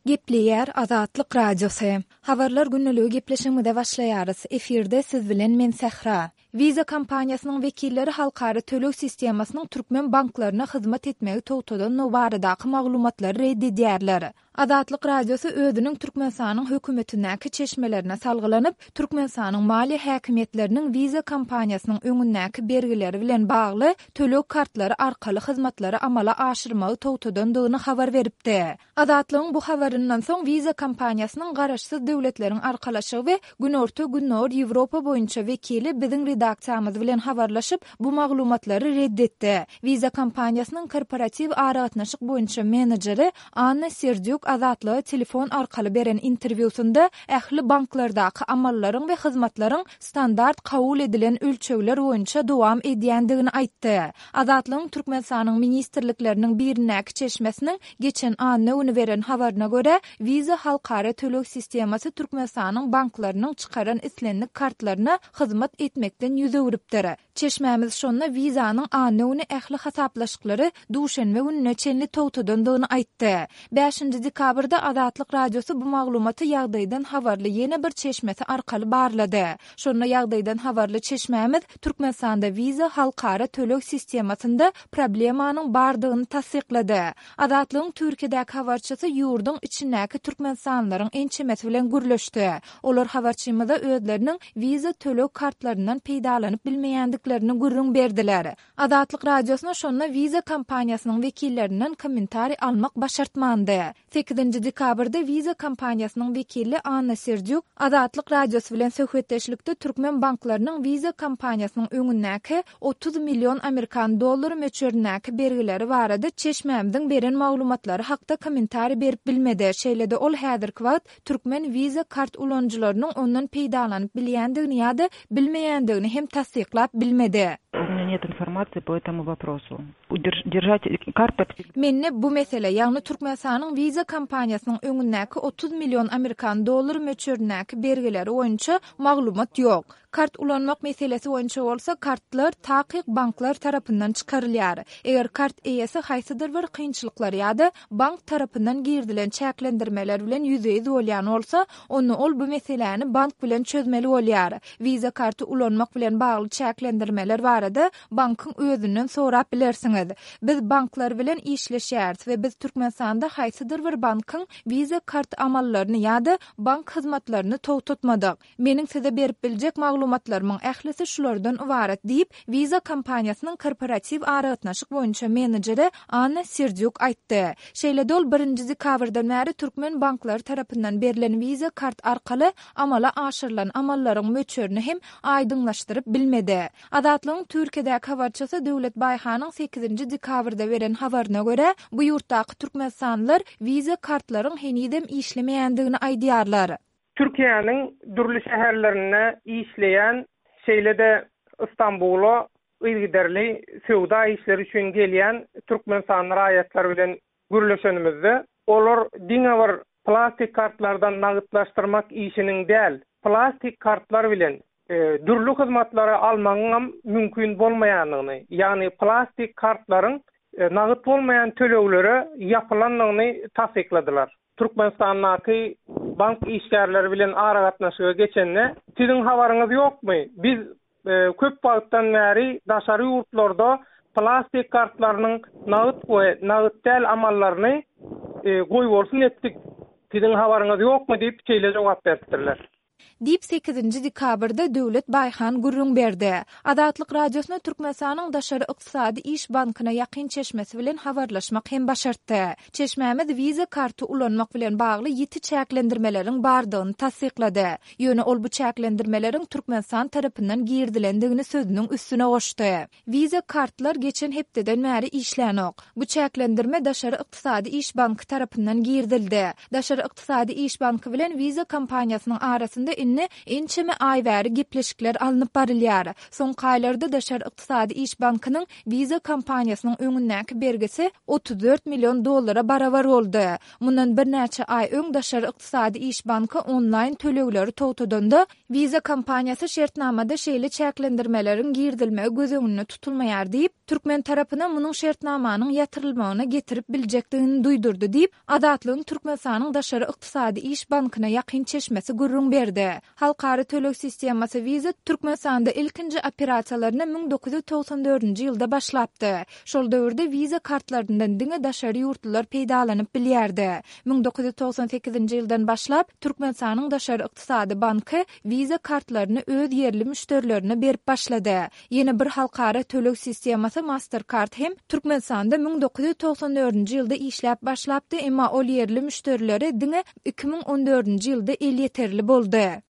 Gepleýär Azatlyk Radiosy. Habarlar gündeligi gepleşigimize başlaýarys. Efirde siz bilen men Sähra. Visa kompaniýasynyň wekilleri halkara töleg sistemasynyň türkmen banklaryna hyzmat etmegi togtadandygy baradaky maglumatlary ret edýärler. Azatlyk Radiosy özüniň Türkmenistanyň hökümetindäki çeşmelerine salgylanyp, Türkmenistanyň maliýe häkimiýetleriniň Visa kompaniýasynyň öňündäki bergileri bilen bagly töleg kartlary arkaly hyzmatlary amala aşyrmagy togtadandygyny habar beripdi. Azatlygyň bu habaryndan soň Visa kompaniýasynyň Garaşsyz Döwletleriň Arkalaşygy we Günorta-Gündogar Ýewropa boýunça wekili biziň redaksiýamyz bilen habarlaşyp, bu maglumatlary ret etdi. Visa kompaniýasynyň korporatiw aragatnaşyk boýunça menejeri Anna Serdýuk Azatlyga telefon arkaly beren interwýusynda ähli banklardaky amallaryň we hyzmatlaryň standart kabul edilen ölçegler boýunça dowam edýändigini aýtdy. Azatlygyň Türkmenistanyň ministrlikleriniň birindäki çeşmesiniň geçen anna güni beren habaryna görä, Visa halkara töleg sistemasy Türkmenistanyň banklarynyň çykaran islendik kartlaryna hyzmat etmekden ýüz öwrüpdir. Çeşmämiz şonda Visa-nyň anna güni ähli hasaplaşyklary duşenbe gününe çenli togtadandygyny aýtdy. Bäşinji dekabrda Azatlyk Radiosy bu maglumaty ýagdaýdan habarly ýene bir çeşmesi arkaly barlady. Şonda ýagdaýdan habarly çeşmämiz Türkmenistanda Visa halkara töleg sistemasynda problemanyň bardygyny tassyklady. Azatlygyň Türkiýedäki habarçysy ýurduň içindäki türkmenistanlylaryň ençemesi bilen gürleşdi. Olar habarçymyza özleriniň Visa töleg kartlaryndan peýdalanyp bilmeýändiklerini gürrüň berdiler. Azatlyk Radiosyna şonda Visa kompaniýasynyň wekillerinden kommentariý almak başartmandy. Sekizinji dekabrda Visa kompaniýasynyň wekili Anna Serdýuk Azatlyk Radiosy bilen söhbetdeşlikde türkmen banklarynyň Visa kompaniýasynyň öňündäki 30 million amerikan dollary möçberindäki bergileri barada çeşmämiziň beren maglumatlary hakda kommentariý berip bilmedi. Şeýle-de ol häzirki wagt türkmen Visa kart ulanyjylarynyň ondan peýdalanyp bilýändigini ýa-da bilmeýändigini hem tassyklap bilmedi. U menya net informasiýi po etomu woprosu. Mende bu mesele, ýagny Türkmenistanyň Visa kompaniýasynyň öňündäki 30 million amerikan dollary möçberindäki bergileri boýunça maglumat ýok. Kart ulanmak meselesi boýunça bolsa kartlar takyk banklar tarapyndan çykarylýar. Eger kart eýesi haýsydyr bir kynçylyklar ýa-da bank tarapyndan girizilen çäklendirmeler bilen ýüzbe-ýüz bolýan bolsa, onda ol bu meseläni bank bilen çözmeli bolýar. Visa karty ulanmak bilen bagly çäklendirmeler barada bankyň özünden sorap bilersiňiz. Biz banklar bilen işleşýäris we biz Türkmenistanda haýsydyr bir bankyň Visa kart amallaryny ýa-da bank hyzmatlaryny togtatmadyk. Meniň size berip biljek maglumatlarymyň ählisi şulardan ybarat diýip, Visa kompaniýasynyň korporatiw aragatnaşyk boýunça menejeri Anna Serdýuk aýtdy. Şeýle-de ol birinji dekabrdan bäri türkmen banklary tarapyndan berlen Visa kart arkaly amala aşyrylan amallaryň möçberini hem aýdyňlaşdyryp bilmedi. Azatlygyň Türkiýedäki habarçysy Döwlet Baýhanyň sekizinji dekabrda beren habaryna görä, bu ýurtdaky türkmenistanlylar Visa kartlaryň henizem işlemeýändigini aýdýarlar. Türkiýäniň dürli şäherlerinde işleýän, şeýle-de Stambula yzygiderli söwda işleri üçin gelýän türkmenistanly raýatlar bilen gürleşenimizde, olar diňe bir plastik kartlardan nagytlaşdyrmak işiniň däl, plastik kartlar bilen dürli hyzmatlary almagyňam mümkin bolmaýandygyny, ýagny plastik kartlaryň nagt bolmaýan töleglere ýapylandygyny tassykladylar. Türkmenistandaky bank işgärleri bilen aragatnaşyga geçende, Siziň habaryňyz ýokmy, biz köp wagtdan bäri daşary ýurtlarda plastik kartlarynyň nagt we nagt däl amallaryny goýbolsun etdik, siziň habaryňyz ýokmy diýip, şeýle jogap beripdirler. Diýip, sekizinji dekabrda Döwlet Baýhan gürrüň berdi. Azatlyk Radiosyna Türkmenistanyň Daşary ykdysady iş bankyna ýakyn çeşmesi bilen habarlaşmak hem başartdy. Çeşmämiz Visa karty ulanmak bilen bagly ýiti çäklendirmeleriň bardygyny tassyklady. Ýöne ol bu çäklendirmeleriň Türkmenistan tarapyndan girizilendigini sözüniň üstüne goşdy. Visa kartlar geçen hepdeden bäri işlänok. Bu çäklendirme Daşary ykdysady iş banky tarapyndan girizildi. Daşary ykdysady iş banky bilen Visa kompaniýasynyň arasynda indi ençeme aý bäri gepleşikler alnyp barylýar. Soňky aýlarda Daşary ykdysady iş bankynyň Visa kompaniýasynyň öňündäki bergisi 34 million dollara barabar boldy. Mundan birnäçe aý öň Daşary ykdysady iş banky onlaýn tölegleri togtadanda, Visa kompaniýasy şertnamada şeýle çäklendirmeleriň girizilmegi göz öňünde tutulmaýar diýip, Türkmen tarapyna munuň şertnamanyň ýatyrylmagyna getirip biljekdigini duýdurdy diýip, Azatlygyň Türkmenistanyň Daşary ykdysady iş bankyna ýakyn çeşmesi gürrüň berdi. Halkara töleg sistemasy Visa Türkmenistanda ilkinji operasiýalaryna 1994-nji ýylda başlapdy. Şol döwürde Visa kartlaryndan diňe daşary ýurtlular peýdalanyp bilýärdi. 1998-nji ýyldan başlap, Türkmenistanyň Daşary ykdysady banky Visa kartlaryny öz ýerli müşderilerine berip başlady. Ýene bir halkara töleg sistemasy Mastercard hem Türkmenistanda 1994-nji ýylda işläp başlapdy, emma ol ýerli müşderilere diňe 2014-nji ýylda elýeterli boldy.